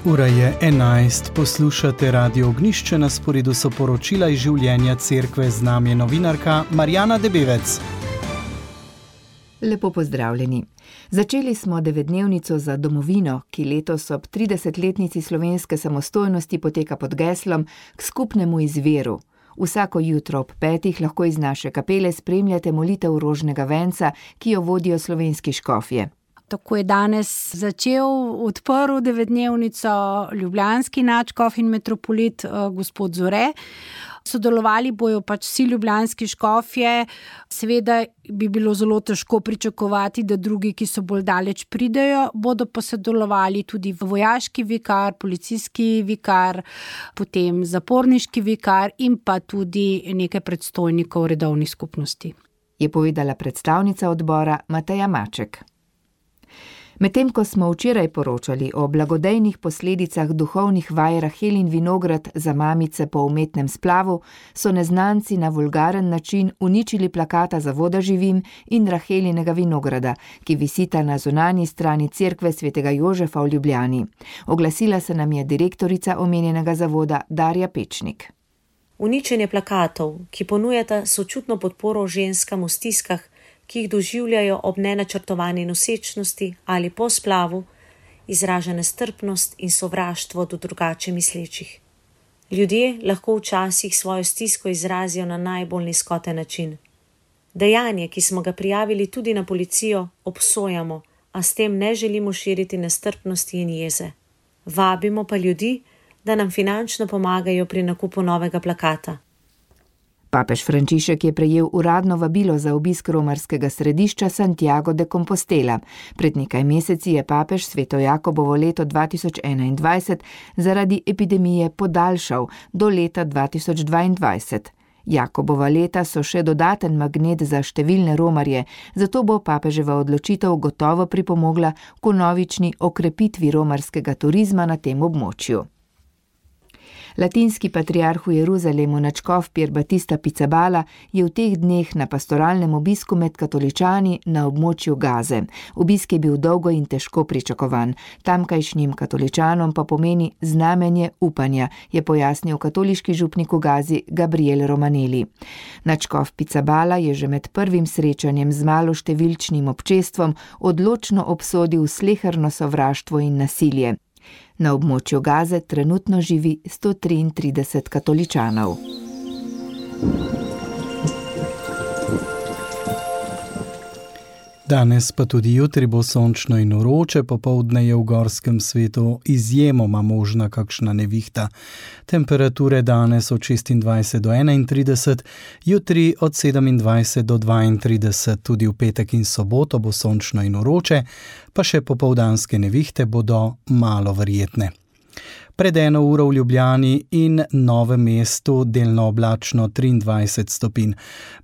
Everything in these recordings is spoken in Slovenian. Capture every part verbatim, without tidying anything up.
Ura je enajst, poslušate Radio Ognjišče, na sporedu so poročila iz življenja cerkve, z nami je novinarka Marjana Debevec. Lepo pozdravljeni. Začeli smo devetdnevnico za domovino, ki letos ob tridesetletnici slovenske samostojnosti poteka pod geslom k skupnemu izviru. Vsako jutro ob petih lahko iz naše kapele spremljate molitev rožnega venca, ki jo vodijo slovenski škofje. Tako je danes začel, odprl devetdnevnico ljubljanski nadškof in metropolit gospod Zore. Sodelovali bojo pač vsi ljubljanski škofje. Seveda bi bilo zelo težko pričakovati, da drugi, ki so bolj daleč pridejo, bodo pa sodelovali tudi vojaški vikar, policijski vikar, potem zaporniški vikar in pa tudi nekaj predstojnikov redovnih skupnosti. Je povedala predstavnica odbora Mateja Maček. Medtem ko smo včeraj poročali o blagodejnih posledicah duhovnih vaj Rahel in Vinograd za mamice po umetnem splavu, so neznanci na vulgaren način uničili plakata za Voda živim in Rahelinega vinograda, ki visita na zunanji strani cerkve svetega Jožefa v Ljubljani. Oglasila se nam je direktorica omenjenega zavoda Darja Pečnik. Uničenje plakatov, ki ponujata sočutno podporo ženskam v stiskah, ki jih doživljajo ob nenačrtovani nosečnosti ali po splavu, izraža nestrpnost in sovraštvo do drugače mislečih. Ljudje lahko včasih svojo stisko izrazijo na najbolj nizkoten način. Dejanje, ki smo ga prijavili tudi na policijo, obsojamo, a s tem ne želimo širiti nestrpnosti in jeze. Vabimo pa ljudi, da nam finančno pomagajo pri nakupu novega plakata. Papež Frančišek je prejel uradno vabilo za obisk romarskega središča Santiago de Compostela. Pred nekaj meseci je papež Sveto Jakobovo leto dva tisoč enaindvajset zaradi epidemije podaljšal do leta dva tisoč dvaindvajset. Jakobova leta so še dodaten magnet za številne romarje, zato bo papeževa odločitev gotovo pripomogla k vnovični okrepitvi romarskega turizma na tem območju. Latinski patriarh v Jeruzalemu nadškof Pier Battista Pizzaballa je v teh dneh na pastoralnem obisku med katoličani na območju Gaze. Obisk je bil dolgo in težko pričakovan. Tamkajšnjim katoličanom pa pomeni znamenje upanja, je pojasnil katoliški župnik v Gazi Gabriel Romanelli. Nadškof Pizzaballa je že med prvim srečanjem z maloštevilčnim občestvom odločno obsodil sleherno sovraštvo in nasilje. Na območju Gaze trenutno živi sto triintrideset katoličanov. Danes pa tudi jutri bo sončno in vroče, popoldne je v gorskem svetu izjemoma možna kakšna nevihta. Temperature danes od šestindvajset do enaintrideset, jutri od sedemindvajset do dvaintrideset, tudi v petek in soboto bo sončno in vroče, pa še popoldanske nevihte bodo malo verjetne. Pred eno uro v Ljubljani in Novem mestu delno oblačno triindvajset stopinj,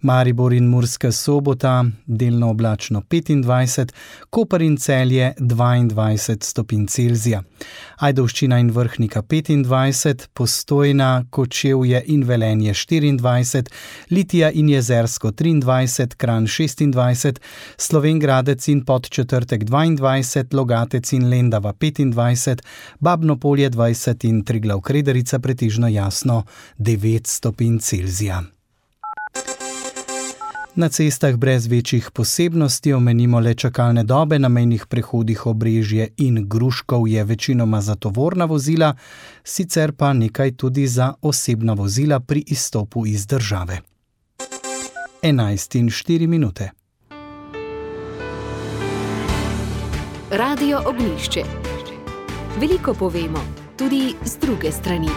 Maribor in Murska Sobota delno oblačno petindvajset, Koper in Celje dvaindvajset stopinj Celzija, Ajdovščina in Vrhnika petindvajset, Postojna, Kočevje in Velenje štiriindvajset, Litija in Jezersko triindvajset, Kranj šestindvajset, Slovenj Gradec in Podčetrtek dvaindvajset, Logatec in Lendava petindvajset, Babno Polje dvajset in Triglav Krederica pretežno jasno devet stopinj Celzija. Na cestah brez večjih posebnosti omenimo le čakalne dobe, na mejnih prehodih Obrežje in Gruškov je večinoma za tovorna vozila, sicer pa nekaj tudi za osebna vozila pri izstopu iz države. enajst in štiri minute. Radio Ognjišče. Veliko povemo, tudi z druge strani.